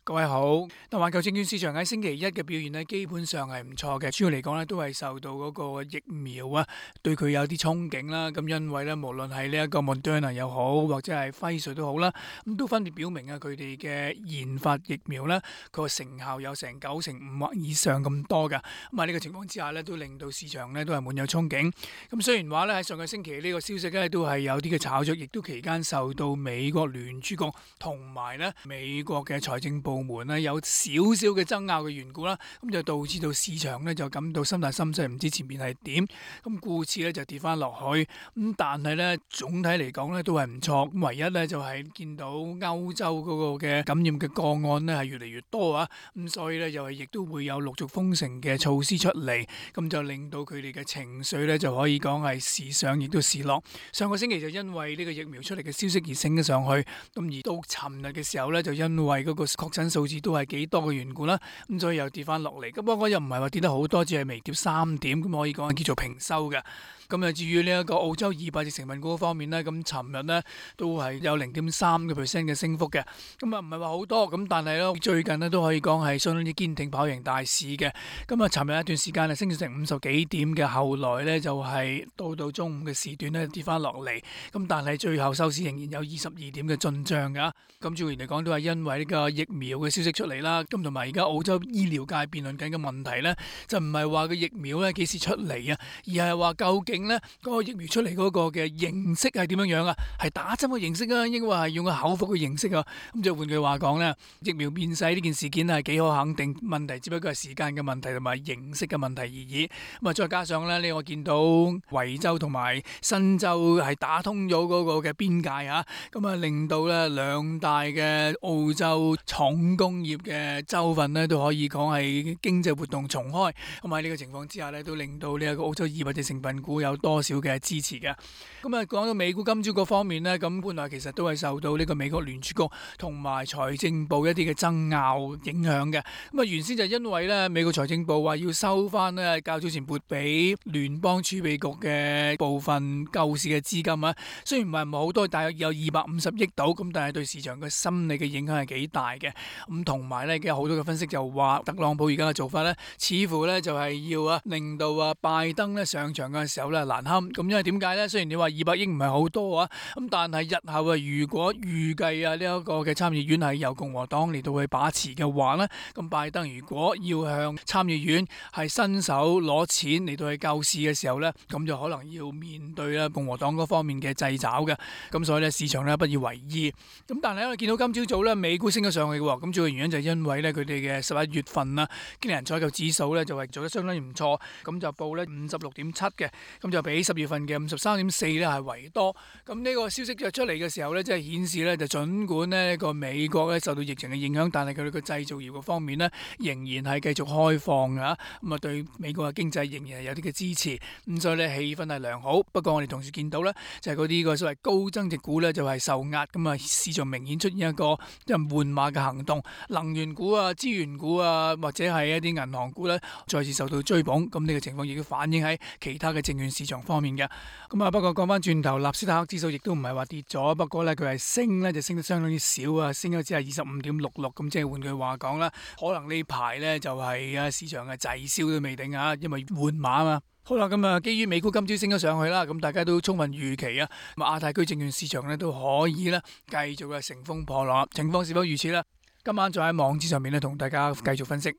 各位好，環球證券市場喺星期一嘅表現咧，基本上係唔錯嘅。主要嚟講咧，都係受到嗰個疫苗啊，對佢有啲憧憬啦。咁因為咧，無論係呢一個 Moderna 又好，或者係輝瑞都好啦，咁都分別表明啊，佢哋嘅研發疫苗咧，佢個成效有成95%或以上咁多噶。咁喺呢個情況之下咧，都令到市場咧都係滿有憧憬。咁雖然話咧喺上個星期呢個消息咧都係有啲嘅炒作，亦都期間受到美國聯儲局同埋咧美國嘅財政部門咧有少少嘅爭拗嘅緣故啦，咁就導致到市場咧就感到心大心細，唔知前面係點，咁故此咧就跌翻落去。咁但係咧總體嚟講咧都係唔錯。咁唯一咧就係見到歐洲嗰個嘅感染嘅個案咧係越嚟越多啊，咁所以咧又係亦都會有陸續封城嘅措施出嚟，咁就令到佢哋嘅情緒咧就可以講係時上亦都時落。上個星期就因為呢個疫苗出嚟嘅消息而升咗上去，咁而到尋日嘅時候咧就因為嗰個確診數字都係幾多嘅緣故啦，咁所以又跌翻落嚟。咁不過又唔係話跌得好多，只係微跌3點，咁可以講係叫做平收嘅。咁啊，至於呢一個澳洲200隻成分股方面呢，咁尋日呢都係有0.3% 嘅升幅嘅。咁啊唔係話好多，咁但係咧最近呢都可以講係相當之堅挺，跑贏大市嘅。咁啊，尋日一段時間係升咗成50幾點嘅，後來呢就係到中午嘅時段呢跌翻落嚟。咁但係最後收市仍然有22點嘅進帳㗎。咁主要嚟講都係因為呢個疫苗嘅消息出嚟啦。咁同埋而家澳洲醫療界辯論緊嘅問題呢，就唔係話個疫苗呢幾時出嚟啊，而係話究竟呢嗰個疫苗出嚟嗰個嘅形式係點樣樣啊？係打針嘅形式啊，抑或係用個口服嘅形式啊？咁就換句話講呢，疫苗變細呢件事件係幾可肯定，問題只不過係時間嘅問題同埋形式嘅問題而已。咁啊，再加上呢，我見到維州同埋新州係打通咗嗰個嘅邊界啊，咁啊令到呢兩大嘅澳洲重工業嘅州份呢都可以講係經濟活動重開。咁喺呢個情況之下呢，都令到呢一個澳洲200隻成分股有多少嘅支持嘅。咁啊，講到美股今朝嗰方面呢，咁本來其實都係受到呢個美國聯儲局同埋財政部一啲嘅爭拗影響嘅。咁啊，原先就因為呢美國財政部話要收翻呢較早前撥俾聯邦儲備局嘅部分救市嘅資金啊，雖然唔係好多，大約有250億度，咁但係對市場嘅心理嘅影響係幾大嘅。咁同埋呢，有好多嘅分析就話特朗普而家嘅做法呢，似乎呢就係要令到拜登呢上場嘅時候呢難堪。咁因為點解呢？雖然你話200億唔係好多啊，咁但係日後如果預計呢一個嘅參議院係由共和黨嚟到去把持嘅話呢，咁拜登如果要向參議院係伸手攞錢嚟到去救市嘅時候呢，咁就可能要面對共和黨嗰方面嘅掣肘嘅。咁所以呢，市場呢不以為意。咁但係因為見到今朝早呢美股升咗上去嘅，咁主要原因就係因為呢佢哋嘅11月份經理人採購指數呢就係做得相當唔錯，咁就報呢56.7嘅，咁就比10月份嘅53.4呢係為多。咁呢個消息就出嚟嘅時候呢，即係顯示呢，就儘管呢個美國呢受到疫情嘅影響，但係佢哋個製造業嘅方面呢仍然係繼續開放㗎。咁啊對美國嘅經濟仍然係有啲嘅支持，咁所以呢氣氛係良好。不過我哋同時見到呢，就係嗰啲個所謂高增值股呢就係受壓，咁啊市場明顯出現一個即係換馬嘅行動，能源股啊、資源股啊或者係一啲銀行股呢再次受到追捧。咁呢個情況亦都反映喺其他嘅證券市場方面嘅。咁啊不過講翻轉頭，納斯達克指數亦都唔係話跌咗，不過呢，佢係升呢就升得相當之少啊，升咗只係25.66。咁即係換句話講啦，可能呢排呢就係市場嘅滯銷都未定啊，因為換馬啊嘛。好啦，咁啊，基於美股今朝升咗上去啦，咁大家都充分預期啊，咁亞太區證券市場呢都可以呢繼續乘風破浪。情況是否如此呢？今晚再喺網址上面呢同大家繼續分析。